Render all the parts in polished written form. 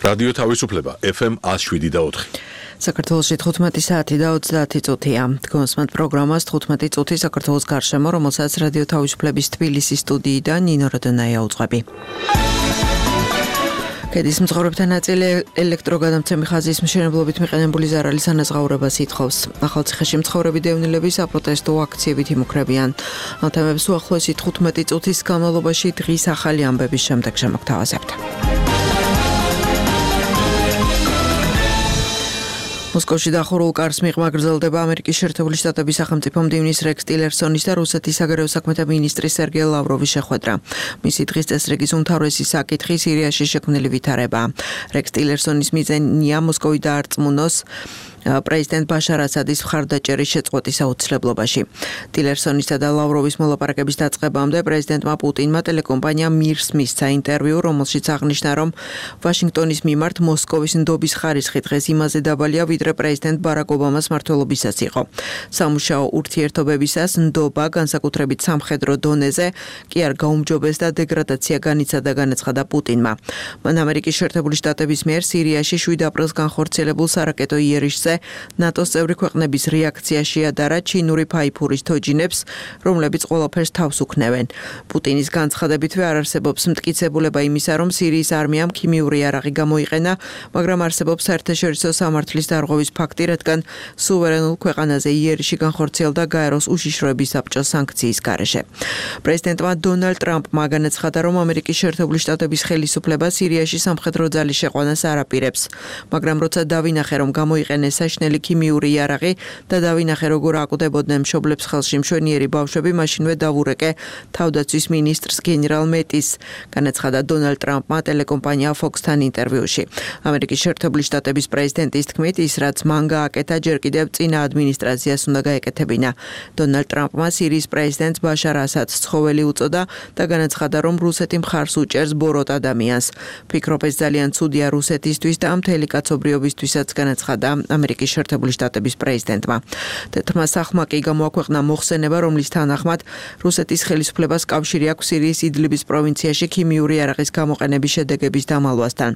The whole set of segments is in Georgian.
რადიო თავისუფლება FM 107.4. საქართველოში 15 საათი და 30 წუთია. გონსმენთ პროგრამას 15 წუთი საქართველოს გარშემო, რომელსაც რადიო თავისუფლების თბილისის სტუდიიდან ნინო როდონაია უძღვები. კედის მძღვრებთან ნაწილი ელექტროგადამცემი ხაზის მშენებლობით მიყენებული ზარალის ანაზღაურებას ითხოვს. ახალციხეში მცხოვრები დევნილები საპროტესტო აქციებით იმუქრებიან. ამ თემებს უახლოესი 15 წუთის განმავლობაში დღის ახალი ამბების შემდეგ შემოგთავაზებთ. მოსკოვში დახურულ კარს მიღმა გრძელდება ამერიკის შეერთებული შტატების სახელმწიფო მდივნის რექს ტილერსონის და რუსეთის საგარეო საქმეთა მინისტრის სერგეი ლავროვის შეხვედრა. მისი დღის წესრიგის უმთავრესი საკითხი სირიაში შექმნილი ვითარებაა. რექს ტილერსონის მიზანია მოსკოვი დაარწმუნოს პრეზიდენტ ბაშარ ასადის მხარდაჭერის შეწყვეტის აუცილებლობაში. ტილერსონისა და ლავროვის მოლაპარაკების დაწყებამდე პრეზიდენტმა პუტინმა ტელეკომპანია მირს მისცა ინტერვიუ, რომელშიც აღნიშნა, რომ ვაშინგტონის მიმართ მოსკოვის ნდობის ხარისხი დღეს იმაზე დაბალია, ვიდრე პრეზიდენტ ბარაკ ობამას მმართველობისას იყო. სამუშაო ურთიერთობებისას ნდობა, განსაკუთრებით სამხედრო დონეზე, კი არ გაუმჯობეს და დეგრადაცია განიცადა, განაცხადა პუტინმა. მან ამერიკის შეერთებული შტატების მიერ სირიაში 7 აპრილს განხორციელებულ სარაკეტო იერიშზე ნატოს წევრი ქვეყნების რეაქცია შეადარა ჩინური ფაიფურის თოჯინებს, რომლებიც ყველაფერს თავს უქნევენ. პუტინის განცხადებითვე არ არსებობს მტკიცებულება იმისა, რომ სირიის არმიამ ქიმიური იარაღი გამოიყენა, მაგრამ არსებობს საერთაშორისო სამართლის დარღვევის ფაქტი, რადგან სუვერენულ ქვეყანაზე იერიში განხორციელდა გაეროს უშიშროების საბჭოს სანქციის გარეშე. პრეზიდენტმა დონალდ ტრამპმა განაცხადა, რომ ამერიკის შეერთებული შტატების ხელისუფლება სირიაში სამხედრო ძალის შეყვანას არ აპირებს, მაგრამ როცა დავინახე, რომ გამოიყენეს საშნელი ქიმიური იარაღი და დავინახე, როგორ აკვდებოდნენ მშობლებს ხელში მშვენიერი ბავშვები, მაშინვე დავურეკე თავდაცვის მინისტრს გენერალ მეტის, განაცხადა დონალდ ტრამპმა ტელეკომპანია Fox-თან ინტერვიუში. ამერიკის შეერთებული შტატების პრეზიდენტის თქმით, ის რაც მან გააკეთა, ჯერ კიდევ წინა ადმინისტრაციას უნდა გაეკეთებინა. დონალდ ტრამპმა სირიის პრეზიდენტს ბაშარ ასადს ცხოველი უწოდა და განაცხადა, რომ რუსეთი მხარს უჭერს ბოროტ ადამიანს. ფიქრობ, ეს ძალიან ცუდია რუსეთისთვის და მთელი კაცობრიობისთვისაც, განაცხადა ამერიკის შეერთებული შტატების პრეზიდენტმა. თეთრმა სახლმა კი გამოაქვეყნა მოხსენება, რომლის თანახმად რუსეთის ხელისუფლებას კავშირი აქვს სირიის იდლიბის პროვინციაში ქიმიური იარაღის გამოყენების შედეგების დამალვასთან.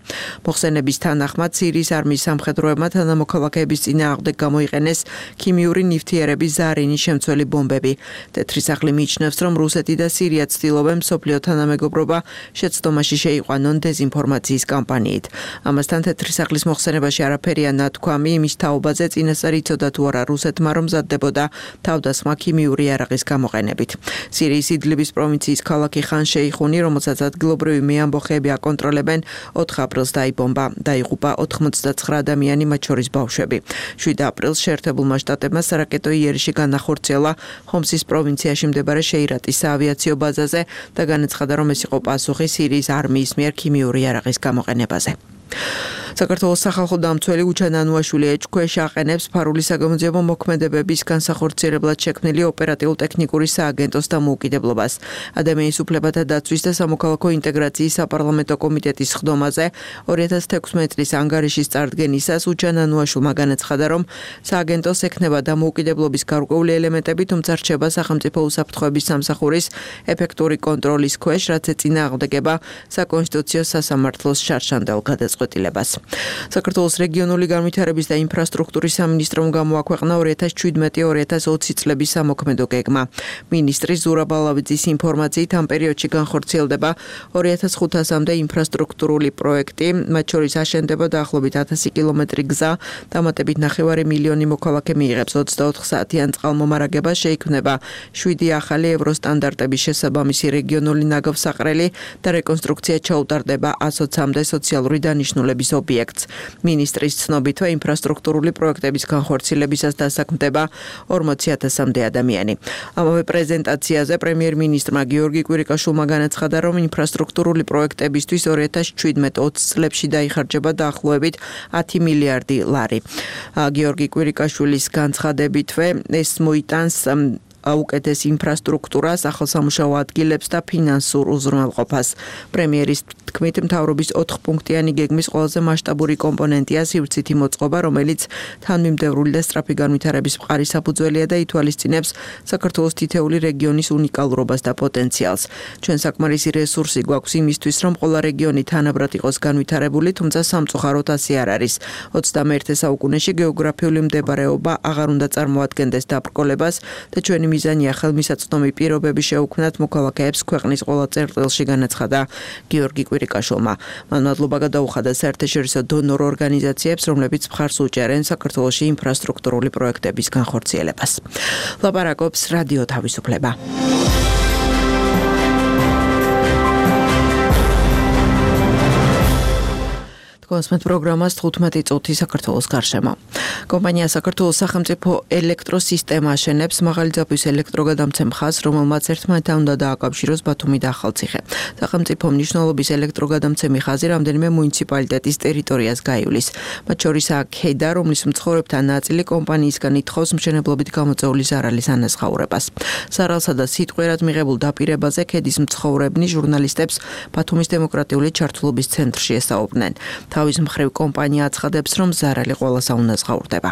მოხსენების თანახმად სირიის არმიის სამხედროებმა თანამოქალაქეების წინააღმდეგ გამოიყენეს ქიმიური ნივთიერების ზარინის შემცველი ბომბები. თეთრი სახლი მიიჩნევს, რომ რუსეთი და სირია ცდილობენ მსოფლიო თანამეგობრობა შეცდომაში შეიყვანონ დეზინფორმაციის კამპანიით. ამასთან თეთრი სახლის მოხსენებაში არაფერია ნათქვამი იმის თაობაზე, წინასწარ იცოდა თუ არა რუსეთმა, რომ მზადდებოდა თავდასხმა ქიმიური იარაღის გამოყენებით. სირიის იდლიბის პროვინციის ქალაქი ხან შეიხუნი, რომელსაც ადგილობრივი მეამბოხეები აკონტროლებენ, 4 აპრილს დაიბომბა. დაიღუპა 99 ადამიანი, მათ შორის ბავშვები. 7 აპრილს შეერთებულმა შტატებმა სარაკეტო იერიში განახორციელა ჰომსის პროვინციაში მდებარე შეირატის საავიაციო ბაზაზე და განაცხადა, რომ ეს იყო პასუხი სირიის არმიის მიერ ქიმიური იარაღის გამოყენებაზე. საქართველოს სახალხო დამცველი უჩან ანუაშვილი ეჭქვეშ აყენებს ფარული საგამოძიებო მოქმედებების განსახორციელებლად შექმნილი ოპერატიულ-ტექნიკური სააგენტოს დამოუკიდებლობას. ადამიანის უფლებათა დაცვის და სამოქალაქო ინტეგრაციის საპარლამენტო კომიტეტის სხდომაზე 2016 წლის ანგარიშის წარდგენისას უჩან ანუაშვილმა განაცხადა, რომ სააგენტოს ექნება დამოუკიდებლობის გარკვეული ელემენტები, თუმცა რჩება სახელმწიფო უსაფრთხოების სამსახურის ეფექტური კონტროლის ქვეშ, რაც ეწინააღმდეგება საკონსტიტუციო სასამართლოს შარშანდელ გადაწყვეტილებას. საქართველოს რეგიონული განვითარების და ინფრასტრუქტურის სამინისტრომ გამოაქვეყნა 2017-2020 წლების სამოქმედო გეგმა. მინისტრი ზურაბ ალავიძის ინფორმაციით, ამ პერიოდში განხორციელდება 2500-მდე ინფრასტრუქტურული პროექტი, მათ შორის აშენდება დაახლოებით 1000 კილომეტრი გზა, დამატებით 9 მილიონი მოქალაქე მიიღებს 24 საათიან წყალმომარაგებას, შეიქმნება 7 ახალი ევროსტანდარტების შესაბამისი რეგიონული ნაგავსაყრელი და რეკონსტრუქცია ჩაუტარდება 120-მდე სოციალური დანიშნულების ობიექტს. მინისტრის ცნობითვე ინფრასტრუქტურული პროექტების განხორციელებისას დასაქმდება 40,000-მდე ადამიანი. ამავე პრეზენტაციაზე პრემიერ-მინისტრმა გიორგი კვირიკაშვილმა განაცხადა, რომ ინფრასტრუქტურული პროექტებისთვის 2017-20 წლებში დაიხარჯება დაახლოებით 10 მილიარდი ლარი. გიორგი კვირიკაშვილის განცხადებითვე ეს მოიტანს უკეთეს ინფრასტრუქტურას, ახალ სამუშაო ადგილებს და ფინანსურ უზრუნველყოფას. პრემიერის თქმით, მთავრობის 4 პუნქტიანი გეგმის ყველაზე მასშტაბური კომპონენტია სივრცითი მოწყობა, რომელიც თანმიმდევრული და სწრაფი განვითარების მყარი საფუძველია და ითვალისწინებს საქართველოს თითეული რეგიონის უნიკალურობას და პოტენციალს. ჩვენ საკმარისი რესურსი გვაქვს იმისთვის, რომ ყველა რეგიონი თანაბრად იყოს განვითარებული, თუმცა სამწუხაროდ ასე არ არის. 21 საუკუნეში გეოგრაფიული მდებარეობა აღარ უნდა წარმოადგენდეს დაბრკოლებას და ჩვენი მიზანია ხელმისაწვდომი პირობები შეუქმნათ მოქალაქეებს ქვეყნის ყველა წერტილში, განაცხადა გიორგი კვირიკაშვილმა. მან მადლობა გადაუხადა საერთაშორისო დონორ ორგანიზაციებს, რომლებიც მხარს უჭერენ საქართველოში ინფრასტრუქტურული პროექტების განხორციელებას. ლაპარაკობს რადიო თავისუფლება. კონსმეთ პროგრამას 15 წუთი საქართველოს გარშემო. კომპანია საქართველოს სახელმწიფო ელექტროსისტემა აშენებს მაღალი ძაბვის ელექტროგადამცემ ხაზს, რომელმაც ერთმანეთთან უნდა დააკავშიროს ბათუმი და ახალციხე. სახელმწიფო მნიშვნელობის ელექტროგადამცემი ხაზი რამდენიმე მუნიციპალიტეტის ტერიტორიას გაივლის. მათ შორისაა ქედა, რომლის მცხოვრებთა ნაწილი კომპანიისგან ითხოვს მშენებლობით გამოწეული ზარალის ანაზღაურებას. ზარალსა და სიტყვიერად მიღებულ დაპირებაზე ქედის მცხოვრებნი ჟურნალისტებს ბათუმის დემოკრატიული ჩართულობის ცენტრში ესაუბრნენ. თავის მხრივ კომპანია აცხადებს, რომ ზარალი ყველას აუნაზღაურდება.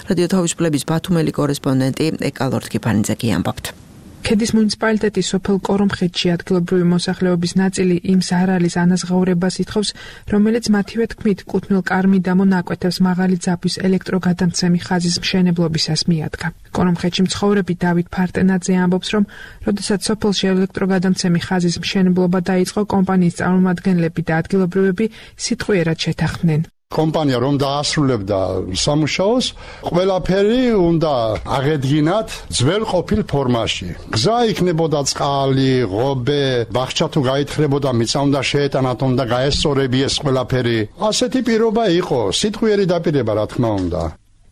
რადიო თავისუფლების ბათუმელი კორესპონდენტი ეკალორდ კიფანიძე ამბობთ. ქედის მუნიციპალიტეტის სოფელ კორომხეთში ადგილობრივი მოსახლეობის ნაწილი იმ ზარალის ანაზღაურებას ითხოვს, რომელიც მათივე თქმით კუთვნილ კარ-მიდამო ნაკვეთებს მაღალი ძაბვის ელექტროგადამცემი ხაზის მშენებლობისას მიადგა. კორომხეთში მცხოვრები დავით ფარტენაძე ამბობს, რომ როდესაც სოფელში ელექტროგადამცემი ხაზის მშენებლობა დაიწყო, კომპანიის წარმომადგენლები და ადგილობრივები სიტყვიერად შეთანხმდნენ. კომპანია რომ დაასრულებდა სამუშაოს, ყველაფერი უნდა აღედგინათ ძველ ყოფილ ფორმაში. გზა იქნებოდა წყალი, ღობე, ბაღჩა თუ გაითხრებოდა, მიწა უნდა შეეტანათ, უნდა გაესწორებიეს ყველაფერი. ასეთი პირობა იყო, სიტყვიერი დაპირება, რა თქმა უნდა.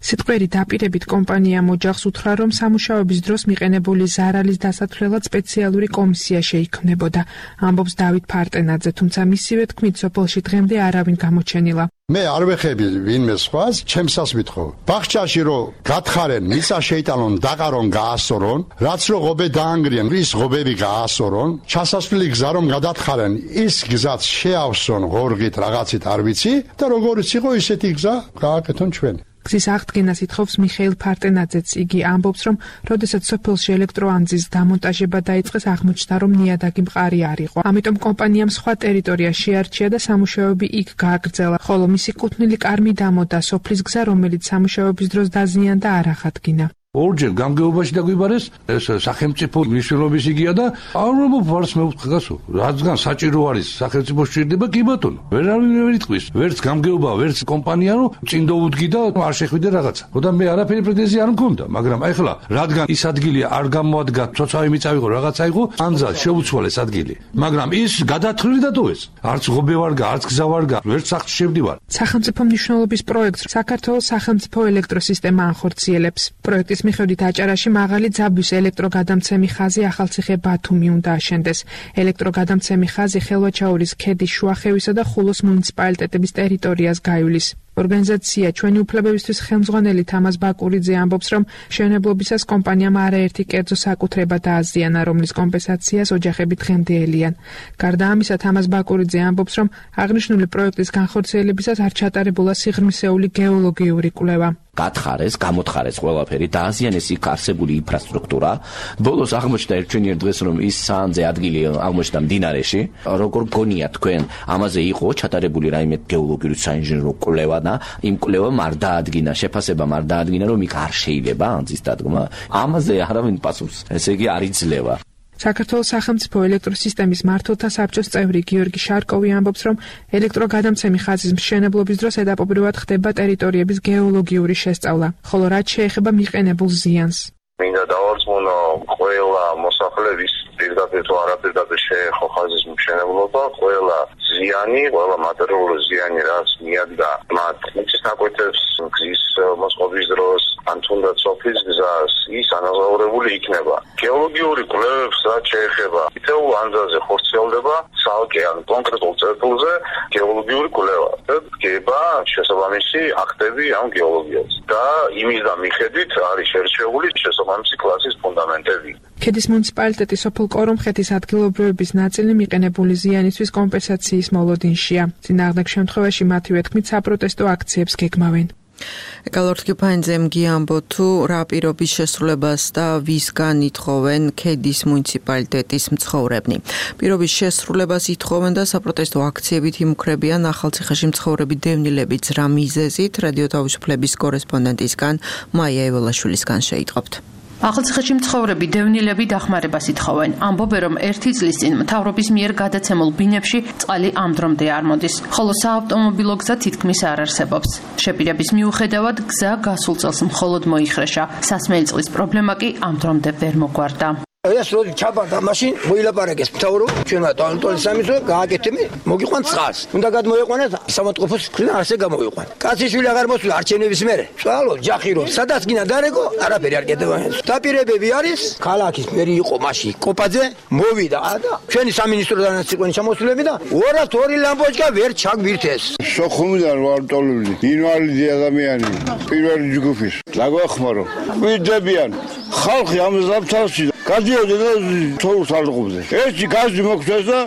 სიტყვიერი დაპირებით კომპანიამ ოჯახს უთხრა, რომ სამუშაოების დროს მიყენებული ზარალის დასათვლელად სპეციალური კომისია შეიქმნებოდა. ამბობს დავით ფარტენაძე, თუმცა მისივე თქმით სოფელში დღემდე არავინ გამოჩენილა. მე არ ვეხები ვინმე სხვას, ჩემსას ვითხოვ. ბაღჩაში რომ გათხარენ, მიწა შეიტანონ, დაყარონ, გაასწორონ, რაც რო ღობე დაანგრიან, ის ღობები გაასწორონ, ჩასასვლელი გზა რომ გადათხარენ, ის გზაც შეავსონ ღორღით რაღაცით არ ვიცი და როგორიც იყო ისეთი გზა გააკეთონ ჩვენ. გზის აღდგენას ითხოვს მიხეილ ფარტენაძეც. იგი ამბობს, რომ როდესაც სოფელში ელექტროანძის დამონტაჟება დაიწყეს, აღმოჩნდა, რომ ნიადაგი მყარი არ იყო. ამიტომ კომპანიამ სხვა ტერიტორია შეარჩია და სამუშაოები იქ გააგრძელა, ხოლო მისი კუთვნილი კარ-მიდამო და სოფლის გზა, რომელიც სამუშაოების დროს დაზიანდა, არ აღადგინა. ორჯერ გამგეობაში დაგვიბარეს ეს სახელმწიფო მნიშვნელობის იგია და აუბრალოდ ვარს მევთხგასო რადგან საჭირო არის სახელმწიფო სჭირდება კი ბატონო ვერავინ ვერ იტყვის ვერც გამგეობა ვერც კომპანია რომ წინ დაუდგი და არ შეხვიდე რაღაცა ხოდა მე არაფერი პრეტენზია არ მქონდა მაგრამ ახლა რადგან ის ადგილი არ გამოადგა ცოცავი მიწა იყო რაღაცა იყო ანძა შეუცვალეს ადგილი მაგრამ ის გადათვლილი დატოვეს არც ღობე ვარგა არც გზა ვარგა ვერც სახლში შევდივარ სახელმწიფო მნიშვნელობის პროექტს საქართველოს სახელმწიფო ელექტროსისტემა ახორციელებს პროექტის მიხედვით აჭარაში მაღალი ძაბვის ელექტროგადამცემი ხაზი ახალციხე ბათუმი უნდა აშენდეს. ელექტროგადამცემი ხაზი ხელვაჩაურის ქედის შუახევისა და ხულოს მუნიციპალიტეტების ტერიტორიას გაივლის. ორგანიზაცია ჩვენი უფლებებისთვის ხელმძღვანელი თამაზ ბაკურიძე ამბობს, რომ მშენებლობისას კომპანიამ არაერთი კერძო საკუთრება დააზიანა, რომლის კომპენსაციას ოჯახები დღემდე ელიან. გარდა ამისა, თამაზ ბაკურიძე ამბობს, რომ აღნიშნული პროექტის განხორციელებისას არ ჩატარებულა სიღრმისეული გეოლოგიური კვლევა. გათხარეს, გამოთხარეს ყველაფერი, დააზიანეს იქ არსებული ინფრასტრუქტურა. ბოლოს აღმოჩნდა ერთვენიერ დღეს, რომ ის საანძე ადგილი აღმოჩნდა მდინარეში. როგორ გონიათ თქვენ, ამაზე იყო ჩატარებული რაიმე გეოლოგიური საინჟინრო კვლევა და იმ კვლევამ არ დაადგინა, შეფასებამ არ დაადგინა, რომ იქ არ შეიძლება ანძის დადგმა. ამაზე არავინ პასუხს, ესე იგი არ იძლევა. საქართველოს სახელმწიფო ელექტროსისტემის მმართველთა საბჭოს წევრი გიორგი შარკოვი ამბობს, რომ ელექტროგადამცემი ხაზის მშენებლობის დროს ედაპობრივად ხდება ტერიტორიების გეოლოგიური შესწავლა, ხოლო რაც შეეხება მიყენებულ ზიანს. მინდა დავარწმუნო ყველა მოსახლეობის პირდაპირ თუ არაპირდაპირ შეეხო ხაზის მშენებლობა, ყველა ზიანი, ყველა მატერიალური ზიანი, რაც მიადგა მათ მიწის ნაკვეთებს, გზის მოსყობის დროს, ან თუნდაც სოფლის გზას, ის ანაზღაურებული იქნება. გეოლოგიური კვლევებს რაც შეეხება, თითოეულ ანძაზე ხორციელდება ცალკე ან კონკრეტულ წერტილზე გეოლოგიური კვლევა. და დგება შესაბამისი აქტები ამ გეოლოგიაზე და იმის და მიხედვით არის შერჩეული შესაბამისი კლასის ფუნდამენტები. ქედის მუნიციპალიტეტის სოფელ კორომხეთის ადგილობრივების ნაწილი მიყენებული ზიანისთვის კომპენსაციის მოლოდინშია. წინააღმდეგ შემთხვევაში მათივე თქმით საპროტესტო აქციებს გეგმავენ. ეკალორთკი ფაინძემ გიამბო თუ რა პირობის შესრულებას და ვისგან ითხოვენ ქედის მუნიციპალიტეტის მცხოვრებნი. პირობის შესრულებას ითხოვენ და საპროტესტო აქციებით იმუქრებიან ახალციხეში მცხოვრები დევნილებიც რა მიზეზით რადიო თავისუფლების კორესპონდენტისგან მაია ეველაშვილისგან შეიტყობთ. ახალციხეში მცხოვრები დევნილები დახმარებას ითხოვენ. ამბობენ, რომ ერთი წლის წინ მთავრობის მიერ გადაცემულ ბინებში წყალი ამ დრომდე არ მოდის, ხოლო საავტომობილო გზა თითქმის არ არსებობს. შეპირების მიუხედავად გზა გასულ წელს მხოლოდ მოიხრეშა. სასმელი წყლის პრობლემა კი ამ დრომდე ვერ მოგვარდა. ეს როდი ჩაბარდა მაშინ მოილაპარაკეს მთავრობა ჩვენმა ტოლტოლის სამისო გააკეთებენ მოგიყვან წყალს უნდა გადმოიყვანოთ სამოწყოფოს ქრიდან ასე გამოვიყვან კაციშვილი აღარ მოსულა არჩევნების მერე წვალო ჯახირო სადაც გინა დარეგო არაფერი არ კეთდება დაპირებები არის ქალაქის მერი იყო მაშინ კოპაძე მოვიდა და ჩვენი სამინისტროდანაც იყვნენ ჩამოსულები და 202 ლამპოჩკა ვერ ჩაგვირთეს სოხუმიდან ვარ ტოლული ინვალიდი ადამიანი პირველი ჯგუფის დაგვახმარო ვიდებიან ხალხი ამ ზამთარში გადიოდნენ და თოვლს არყობდნენ. ერთი გაზი მოგვცეს და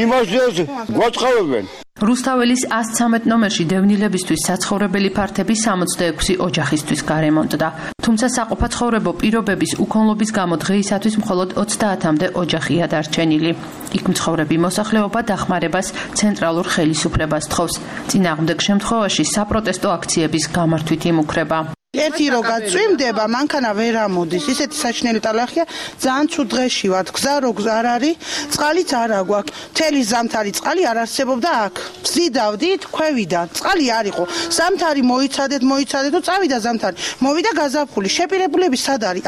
იმასაც გვაწყავებენ. რუსთაველის 113 ნომერში დევნილებისთვის საცხოვრებელი ფართები 66 ოჯახისთვის გარემონტდა. თუმცა საყოფაცხოვრებო პირობების უქონლობის გამო დღეისათვის მხოლოდ 30-მდე ოჯახია დარჩენილი. იქ მცხოვრები მოსახლეობა დახმარებას ცენტრალურ ხელისუფლებას თხოვს. წინააღმდეგ შემთხვევაში საპროტესტო აქციების გამართვით იმუქრება. ერთი რო გაწვიმდება, მანქანა ვერ ამოდის. ისეთი საჩნელი ტალახია, ძალიან ცუდ დღეში ვართ. გზა რო არ არის, წყალიც არ აგვაქვს. მთელი ზამთარი წყალი არ არსებობდა აქ. ვზიდავდით, ქვევიდა. წყალი არ იყო. ზამთარი მოიცადეთ და წავიდა ზამთარი. მოვიდა გაზაფხული. შეპირებულები სად არის?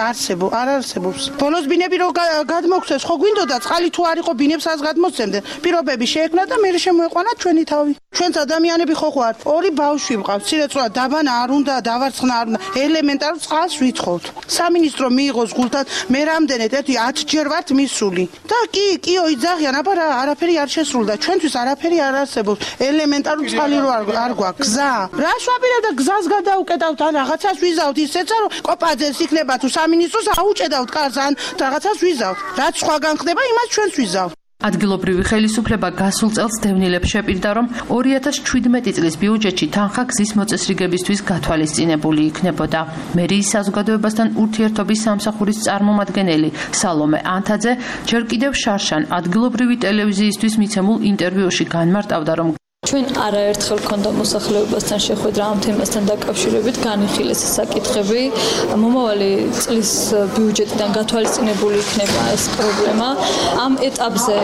არ არსებობს. ბოლოს ბინები რო გადმოგცეს, ხო გვინდოდა წყალი თუ არ იყო ბინებს ას გადმოსცემდნენ. პირობები შეექმნა და მე შემოეყვანა ჩვენი თავი. ჩვენც ადამიანები ხო ვართ. ორი ბავშვი ვყავთ. სირეწროა დაბანა არ უნდა, დავარცხნა არ უნდა. ელემენტარულ წყალს ვითხოვთ. სამინისტრო მიიღოს გულთან, მე რამდენად 10 ჯერ ვართ მისული. და კიო იძახიან, აბა არაფერი არ შესრულდა. ჩვენთვის არაფერი არ არსებობს. ელემენტარულ წყალი რო არ გვაქვს. გზა. რას ვაპირებ და გზას გადაუკეტავთ, ან რაღაცას ვიზავთ ისეცა, რომ კოპაძეს იქნება თუ სამინისტროს აუჭედავთ კარს, ან რაღაცას ვიზავთ. რაც სხვაგან ხდება, იმას ჩვენს ვიზავთ. ადგილობრივი ხელისუფლება გასულ წელს დევნილებს შეპირდა, რომ 2017 წლის ბიუჯეტში თანხა გზის მოწესრიგებისთვის გათვალისწინებული იქნებოდა. მერიის საზოგადოებასთან ურთიერთობის სამსახურის წარმომადგენელი სალომე ანთაძე ჯერ კიდევ შარშან ადგილობრივი ტელევიზიისთვის მიცემულ ინტერვიუში განმარტავდა, რომ ჩვენ არაერთხელ ქონდა მოსახლეობასთან შეხვედრა ამ თემასთან დაკავშირებით, განიხილეს საკითხები. მომავალი წლის ბიუჯეტიდან გათვალისწინებული იქნება ეს პრობლემა. ამ ეტაპზე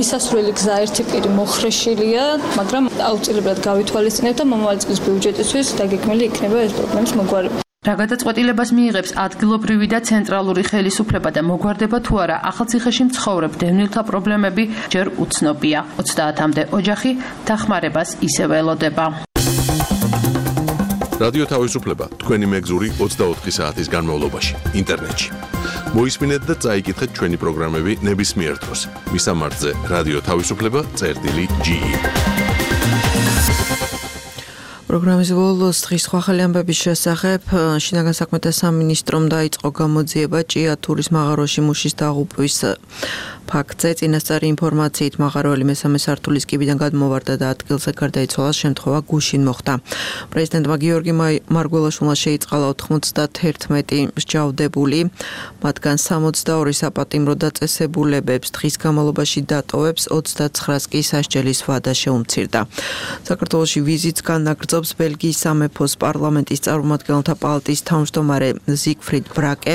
მისასვლელი გზა ერთი პირი მოხრეშილია, მაგრამ აუცილებლად გავითვალისწინებთ და მომავალი წლის ბიუჯეტისთვის დაგეგმილი იქნება ეს პრობლემის მოგვარება. რა გადაწყვეტილებას მიიღებს ადგილობრივი და ცენტრალური ხელისუფლება და მოგვარდება თუ არა ახალციხეში მცხოვრებ დევნილთა პრობლემები ჯერ უცნობია. 30-მდე ოჯახი დახმარებას ისევ ელოდება. რადიო თავისუფლება თქვენი მეგზური 24 საათის განმავლობაში ინტერნეტში. მოისმინეთ და წაიკითხეთ ჩვენი პროგრამები ნებისმიერ დროს. მისამართზე რადიო თავისუფლება.ge პროგრამის ბოლოს დღის სხვა ახალი ამბების შესახებ შინაგან საქმეთა სამინისტრომ დაიწყო გამოძიება ჭიათურის მაღაროში მუშის დაღუპვის ფაქტზე. წინასწარი ინფორმაციით მაღაროელი მესამე სართულის კიბიდან გადმოვარდა და ადგილზე გარდაიცვალა, შემთხვევა გუშინ მოხდა. პრეზიდენტმა გიორგი მარგველაშვილმა შეიწყალა 91 მსჯავრდებული, მათგან 62 საპატიმრო დაწესებულებებს დღის განმავლობაში დატოვებს, 29-ს კი სასჯელის ვადა შეუმცირდა. საქართველოში ვიზიტს განაგრძობს ბელგიის სამეფოს პარლამენტის წარმომადგენელთა პალატის თავმჯდომარე ზიგფრიდ ბრაკე.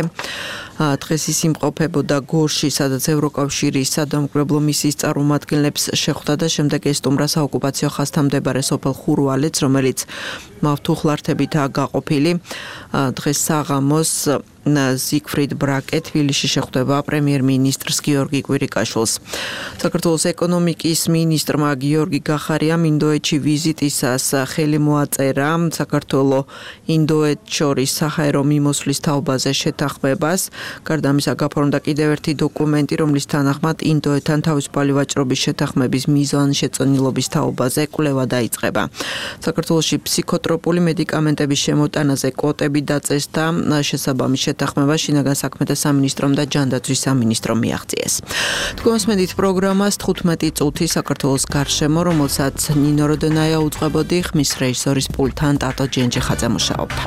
დღეს ის იმყოფებოდა გორში, სადაც ევროკავშირის სადამკვირვებლო მისიის წარმომადგენლებს შეხვდა და შემდეგ ესტუმრა საოკუპაციო ხაზთან მდებარე სოფელ ხურვალეთს, რომელიც მავთუხლართებითაა გაყოფილი. დღეს საღამოს ზიგფრიდ ბრაკე თბილისში შეხვდება პრემიერ-მინისტრს გიორგი კვირიკაშვილს. საქართველოს ეკონომიკის მინისტრმა გიორგი გახარიამ ინდოეთში ვიზიტისას ხელი მოაწერა საქართველოს ინდოეთ შორის საჰაერო მიმოსვლის თაობაზე შეთანხმებას. გარდა ამისა გაფორმდა კიდევ ერთი დოკუმენტი, რომლის თანახმად ინდოეთთან თავისუფალი ვაჭრობის შეთანხმების მიზანშეწონილობის თაობაზე კვლევა დაიწყება. საქართველოში ფსიქოტროპული მედიკამენტების შემოტანაზე კვოტები დაწეს და შესაბამის შეთანხმება შინაგან საქმეთა სამინისტრომ და ჯანდაცვის სამინისტრომ მიაღწიეს. თქვენსმენით პროგრამას 15 წუთი საქართველოს გარშემო, რომელსაც ნინო როდონაია უწყებოდი, ხმის რეჟისორის პულტთან ტატო ჯენჯიხაძე მუშაობდა.